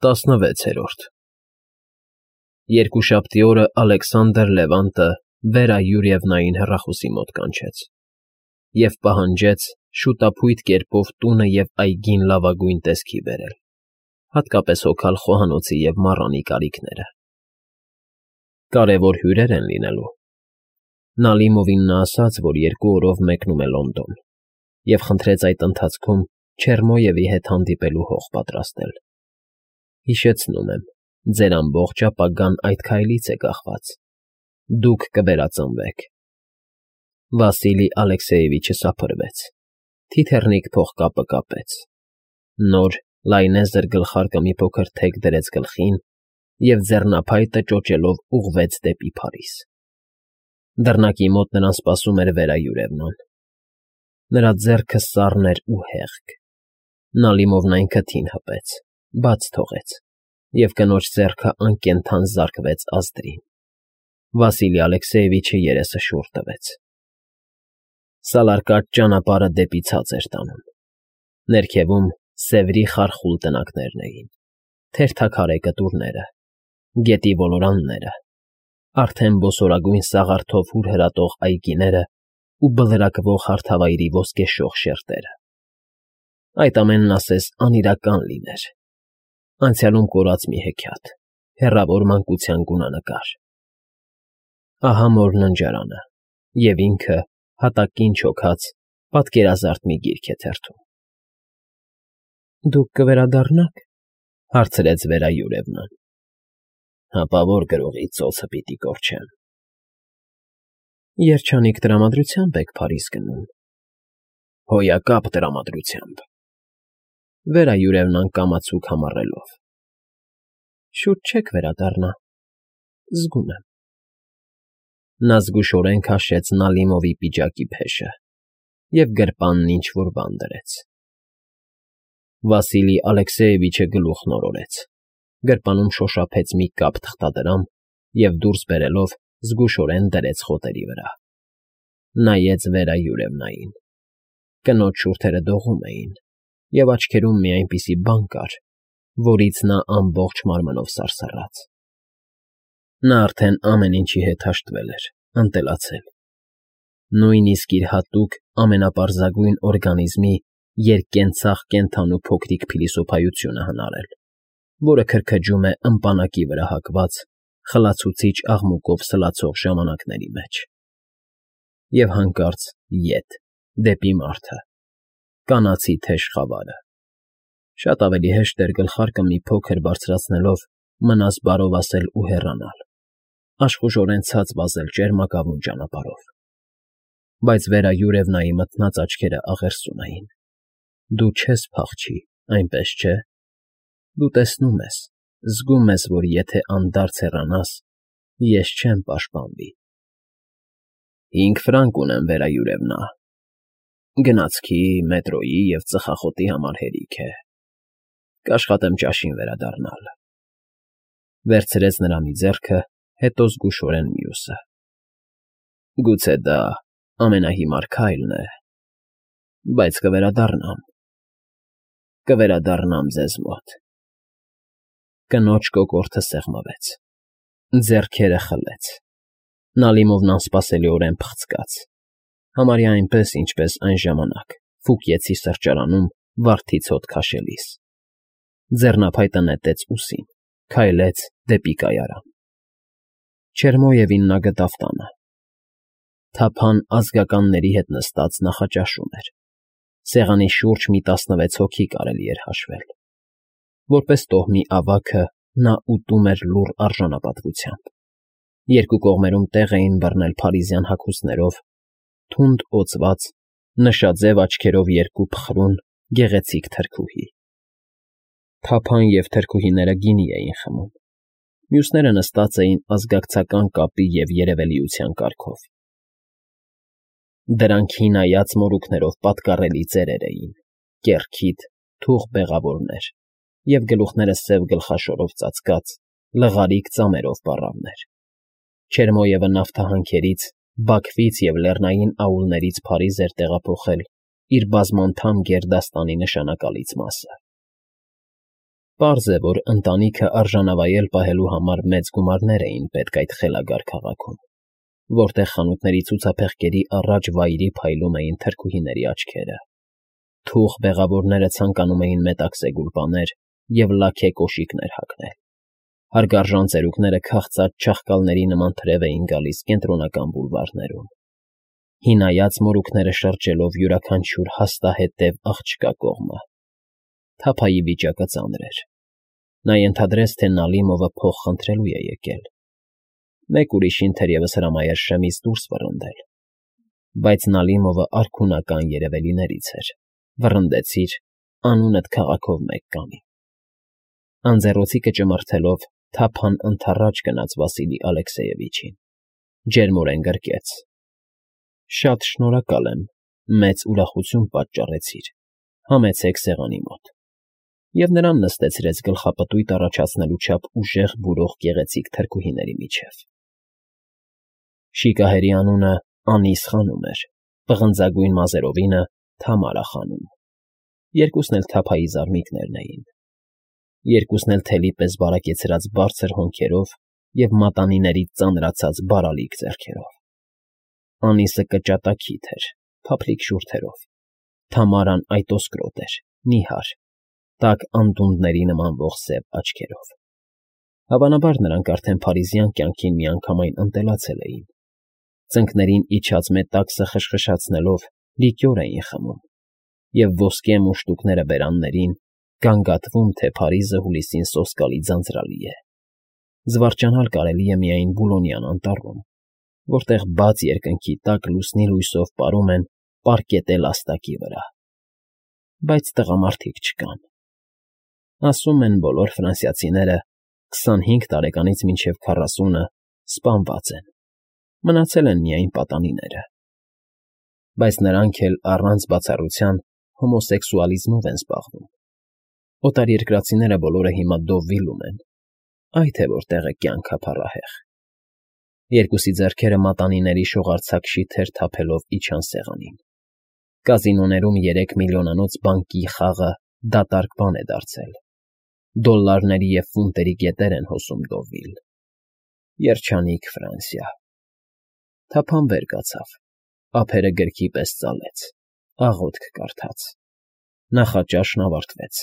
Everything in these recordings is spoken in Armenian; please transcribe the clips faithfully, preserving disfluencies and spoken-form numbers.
Տասնվեցերորդ Երկուշաբթի օրը Ալեքսանդր Լևանտը Վերա Յուրիևնային հեռախոսի մոտ կանչեց և պահանջեց շուտափույթ կերպով տունը և այգին լավագույն տեսքի բերել, հատկապես հոգալ խոհանոցի և մառանի կարիքները։ Կարևոր հյուրեր են լինելու։ Նալիմովին նա ասաց, որ երկու օրով մեկնում է Լոնդոն, և խնդրեց այդ ընթացքում Չերմոյևի հետ հանդիպելու հող պատրաստել։ Հիշեցնում եմ, ձեր ամբողջ ապագան այդ քայլից է կախված. դուք կվերածնվեք։ Վասիլի Ալեքսեևիչը սափրվեց, թիթեռնիկ փողկապը կապեց, նոր լայնեզր գլխարկը մի փոքր թեք դրեց գլխին և ձեռնափայտը ճոճելով ուղղվեց դեպի Փարիզ։ Դռնակի մոտ նրան սպասում էր Վերա Յուրիևնան։ Նրա ձեռքը սառն էր ու հեղք։ Նալիմովն այն քթին հպեց, բաց թողեց, և կնոջ ձեռքը անկենդան զարկվեց ազդրին։ Վասիլի Ալեքսեևիչը երեսը շուռ տվեց։ Սալարկած ճանապարհը դեպի ցած էր տանում։ Ներքևում Սևրի խարխուլ տնակներն էին, թերթաքարե կտուրները, գետի ոլորանները, արդեն բոսորագույն սաղարթով հուրհրատող այգիները ու բլրակվող հարթավայրի ոսկեշող շերտերը։ Այդ ամենն ասես անիրական լիներ, անցյալում կորած մի հեքիաթ, հեռավոր մանկության գունանկար։ Ահա Մոր ննջարանը, և ինքը, հատակին չոքած, պատկերազարդ մի գիրք է թերթում։ ֊ Դուք կվերադառնա՞ք,֊ հարցրեց Վերա Յուրիևնան։ ֊ Հապա ո՞ր գրողի ծոցը պիտի կորչեմ։ ֊ Երջանիկ տրամադրությամբ եք Փարիզ գնում։ ֊ Հոյակապ տրամադրությամբ։ Վերա Յուրիևնան կամացուկ համառելով։ ֊ Շուտ չեք վերադառնա, զգում եմ։ Նա զգուշորեն քաշեց Նալիմովի պիջակի փեշը և գրպանն ինչ֊որ բան դրեց։ Վասիլի Ալեքսեևիչը գլուխն օրորեց, գրպանում շոշափեց մի կապ թղթադրամ և դուրս բերելով զգուշորեն դրեց խոտերի վրա։ Նայեց Վերա Յուրիևնային։ Կնոջ շուրթերը դողում էին, և աչքերում մի այնպիսի բան կար, որից նա ամբողջ մարմնով սարսռաց։ Նա արդեն ամեն ինչի հետ հաշտվել էր, ընտելացել։ Նույնիսկ իր հատուկ ամենապարզագույն օրգանիզմի երկկենցաղ կենդանու փոքրիկ փիլիսոփայությունը հնարել, որը քրքջում է ըմպանակի վրա հակված, խլացուցիչ աղմուկով սլացող ժամանակների մեջ։ Եվ հանկարծ ետ, դեպի մարդը, կանացի թեժ խավարը։ Շատ ավելի հեշտ էր գլխարկը մի փոքր բարձրացնելով մնաս բարով ասել ու հեռանալ, աշխուժորեն ցած վազել ճերմակավուն ճանապարհով։ Բայց Վերա Յուրիևնայի մթնած աչքերը աղերսում էին։ Դու չես փախչի, այնպես չէ՞։ Դու տեսնում ես, զգում ես, որ եթե անդարձ հեռանաս, ես չեմ պաշտպանվի։ ֊ Հինգ ֆրանկ ունեմ, Վերա Յուրիևնա, գնացքի, մետրոյի և ծխախոտի համար հերիք է, կաշխատեմ ճաշին վերադառնալ։ Վերցրեց նրա մի ձեռքը, հետո զգուշորեն մյուսը։ Գուցե դա ամենահիմար քայլն է, բայց կվերադառնամ, կվերադառնամ ձեզ մոտ։ Կնոջ կոկորդը սեղմվեց, ձեռքերը խլեց։ Նալիմովն անսպասելիորեն փխցկաց, համարյա այնպես, ինչպես այն ժամանակ Ֆուկիեցի սրճարանում վարդից հոտ քաշելիս։ Ձեռնափայտը նետեց ուսին, քայլեց դեպի կայարան։ Չերմոյևին նա գտավ տանը։ Թափան ազգականների հետ նստած նախաճաշում էր։ Սեղանի շուրջ մի տասնվեց հոգի կարելի էր հաշվել։ Որպես տոհմի ավագը նա ուտում էր լուռ արժանապատվությամբ։ Երկու կողմերում տեղ էին բռնել փարիզյան հագուստներով, թունդ օծված, նշաձև աչքերով երկու փխրուն, գեղեցիկ թրքուհի։ Թափան և թրքուհիները գինի էին խմում, մյուսները նստած էին ազգակցական կապի և երևելիության կարգով։ Դրանք հինայած մորուքներով պատկառելի ծերեր էին, կեռքիթ, թուխ բեղավորներ և գլուխները սև գլխաշորով ծածկած, լղարիկ ծամերով պառավներ։ Չերմոյևը նավթահանքերից, Բաքվից և լեռնային աուլներից Փարիզ էր տեղափոխել իր բազմանդամ գերդաստանի նշանակալից մասը։ Պարզ է, որ ընտանիքը արժանավայել պահելու համար մեծ գումարներ էին պետք այդ խելագար քաղաքում, որտեղ խանութների ցուցափեղկերի առաջ վայրի փայլում էին թրքուհիների աչքերը, թուխ բեղավորները ցանկանում էին մետաքսե գուլպաներ և լաքե կոշիկներ հագնել, հարգարժան ծերուկները քաղցած չաղկալների նման թրև էին գալիս կենտրոնական բուլվարներում, հինայած մորուքները շրջելով յուրաքանչյուր հաստահետև աղջկա կողմը։ Թափայի վիճակը ծանր էր։ Նա ենթադրեց, թե Նալիմովը փող խնդրելու է եկել։ Մեկ ուրիշին թերևս հրամայեր շեմից դուրս վռնդել, բայց Նալիմովը արքունական երևելիներից էր։ Վռնդեցիր, անունդ քաղաքով մեկ կանի։ Անձեռոցիկը ճմրթելով, թափան ընդառաջ գնաց Վասիլի Ալեքսեևիչին, ջերմորեն գրկեց. Շատ շնորհակալ եմ, մեծ ուրախություն պատճառեցիր, համեցեք սեղանի մոտ։ Եվ նրան նստեցրեց գլխապտույտ առաջացնելու չափ ուժեղ բուրող գեղեցիկ թրքուհիների միջև։ Շիկահերի անունը Անիս խանում էր, պղնձագույն մազերովինը Թամարա խանում։ Երկուսն էլ թափայի զարմիկներն էին։ Երկուսն էլ թելի պես բարակեցրած բարձր հոնքերով և մատանիներից ծանրացած բարալիկ ձեռքերով։ Անիսը կճատակիթ էր, փափլիկ շուրթերով, Թամարան այտոսկրոտ էր, նիհար, տաք անդունդների նմանվող սև աչքերով։ Հավանաբար նրանք արդեն փարիզյան կյանքին միանգամայն ընտելացել էին։ Ծնկներին իջած մետաքսը խշխշացնելով լիկյոր էին խմում, և ոսկե մուշտուկները բերաններին, գանգատվում, թե Փարիզը հուլիսին սոսկալի ձանձրալի է։ Զվարճանալ կարելի է միայն Բուլոնյան անտառում, որտեղ բաց երկնքի տակ լուսնի լույսով պարում են պարկետե լաստակի վրա։ Բայց տղամարդիկ չկան։ Ասում են, բոլոր ֆրանսիացիները քսանհինգ տարեկանից մինչև քառասունը սպանված են, մնացել են միայն պատանիները։ Բայց նրանք էլ առանց բացառության հոմոսեքսուալիզմով են զբաղվում։ Օտարերկրացիները բոլորը հիմա Դովվիլում են, այ թե որտեղ է կյանքը փառահեղ։ Երկուսի ձեռքերը մատանիների շողարձակ շիթեր թափելով իջան սեղանին։ Կազինոներում երեք միլիոնանոց բանկի խաղը դատարկ բան է դարձել։ Դոլլարների և ֆունտերի գետեր են հոսում Դովվիլ։ Երջանիկ Ֆրանսիա։ Թափան վեր կացավ, ափերը գրքի պես ծալեց, աղոթք կարդաց։ Նախաճաշն ավարտվեց։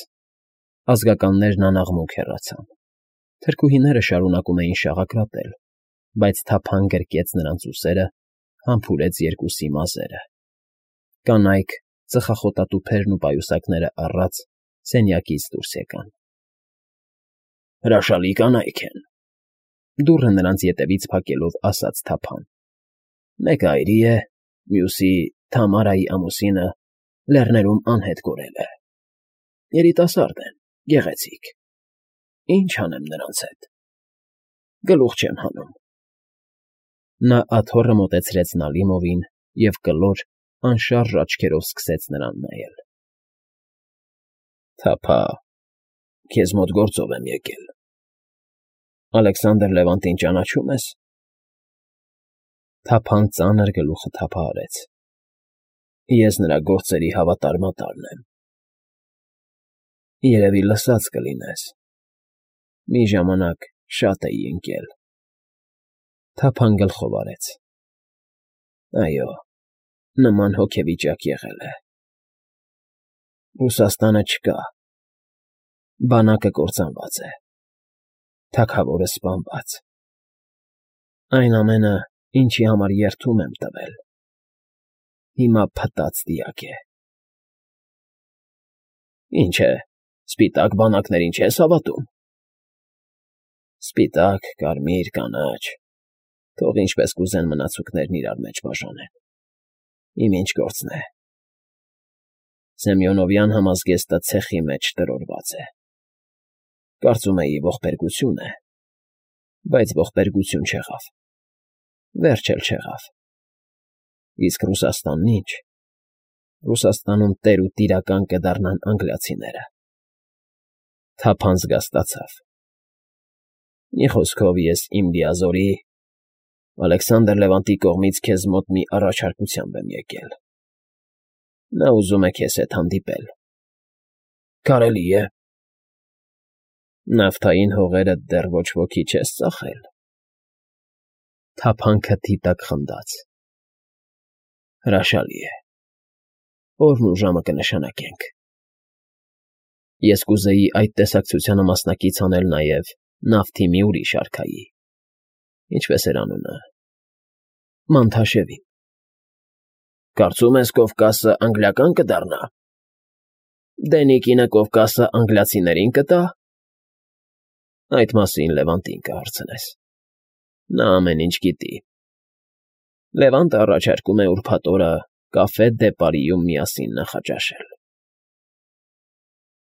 Ազգականներն անաղմուկ հեռացան։ Թրքուհիները շարունակում էին շաղակրատել, բայց թափան գրկեց նրանց ուսերը, համբուրեց երկուսի մազերը։ Կանայք, ծխախոտատուփերն ու պայուսակները առած, սենյակից դուրս եկան։ Հրաշալի կանայք են, դուռը նրանց ետևից փակելով ասաց թափան։ Մեկը այրի է, մյուսի Թամարայի ամուսինը լեռներում անհետ կորել է։ Երիտասարդ են, գեղեցիկ։ Ինչ անեմ նրանց հետ։ Գլուխ չեմ հանում։ Նա աթոռը մոտեցրեց Նալիմովին և կլոր, անշարժ աչքերով սկսեց նրան նայել։ Թափա, քեզ մոտ գործով եմ եկել։ Ալեքսանդր Լևանտին ճանաչո՞ւմ ես։ Թափան ծանր գլուխը թափահարեց։ Ես նրա գործերի հավատարմատարն եմ։ Երևի լսած կլինես։ Մի ժամանակ շատ էի ընկել։ Թափան գլխով արեց։ Այո, նման հոգեվիճակ եղել է։ Ռուսաստանը չկա։ Բանակը կործանված է։ Թագավորը սպանված։ Այն ամենը, ինչի համար երդում եմ տվել, հիմա փտած դիակ է։ Ինչ է, սպիտակ բանակներին չես հավատում։ Սպիտակ, կարմիր, կանաչ, թող ինչպես կուզեն մնացուկներն իրար մեջ բաժանեն։ Իմ ինչ գործն է։ Սեմյոնովյան համազգեստը ցեխի մեջ տրորված է։ Կարծում էի ողբերգություն է, բայց ողբերգություն չեղավ։ Վերջ էլ չեղավ։ Իսկ Ռուսաստանն ինչ։ Ռուսաստանում տեր ու տիրական կդառնան անգլիացիները։ Թափան զգաստացավ։ Մի խոսքով ես իմ լիազորի Ալեքսանդր Լևանտի կողմից քեզ մոտ մի առաջարկությամբ եմ եկել։ Նա ուզում է քեզ հետ հանդիպել։ Կարելի է։ Նավթային հողերդ դեռ ոչ ոքի չես ծախել,֊ թափանցը թիթակ խնդաց։֊ Հրաշալի է, օրն ու ժամը կնշանակենք… Ես կուզեի այդ տեսակցությանը մասնակից անել նաև նավթի մի ուրիշ արքայի… Ինչպե՞ս էր անունը… Մանթաշելին… Կարծում ես Կովկասը անգլիական կդառնա… Դենիկինը Կովկասը անգլիացիներին կտա՞… Այդ մասին Լևանտին կհարցնես… Նա ամեն ինչ գիտի… Լևանտը առաջարկում է ուրբաթ օրը կաֆե դե Պարիում միասին նախաճաշել։